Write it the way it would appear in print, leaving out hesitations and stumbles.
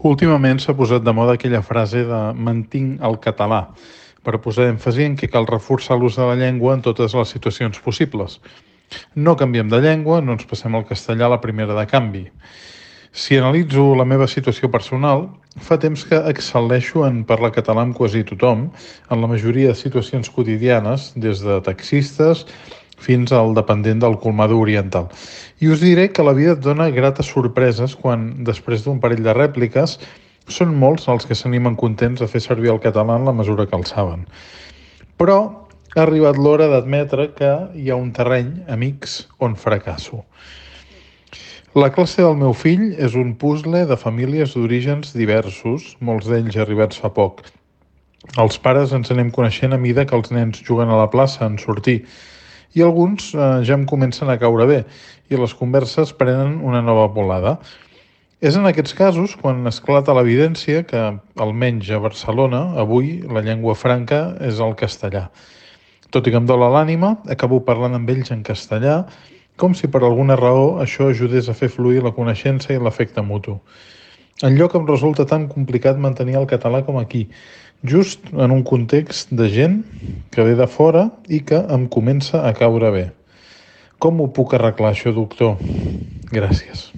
Últimament s'ha posat de moda aquella frase de "mantinc el català", per posar èmfasi en que cal reforçar l'ús de la llengua en totes les situacions possibles. No canviem de llengua, no ens passem al castellà a la primera de canvi. Si analitzo la meva situació personal, fa temps que excel·leixo en parlar català amb quasi tothom, en la majoria de situacions quotidianes, des de taxistes fins al dependent del colmado oriental. I us diré que la vida et dona grates sorpreses quan, després d'un parell de rèpliques, són molts els que s'animen contents a fer servir el català en la mesura que el saben. Però ha arribat l'hora d'admetre que hi ha un terreny, amics, on fracasso. La classe del meu fill és un puzzle de famílies d'orígens diversos, molts d'ells arribats fa poc. Els pares ens anem coneixent a mida que els nens juguen a la plaça en sortir, i alguns ja em comencen a caure bé, i les converses prenen una nova volada. És en aquests casos quan esclata l'evidència que, almenys a Barcelona, avui la llengua franca és el castellà. Tot i que em dola l'ànima, acabo parlant amb ells en castellà, com si per alguna raó això ajudés a fer fluir la coneixença i l'efecte mutu. Enlloc em resulta tan complicat mantenir el català com aquí, just en un context de gent que ve de fora i que em comença a caure bé. Com ho puc arreglar, això, doctor? Gràcies.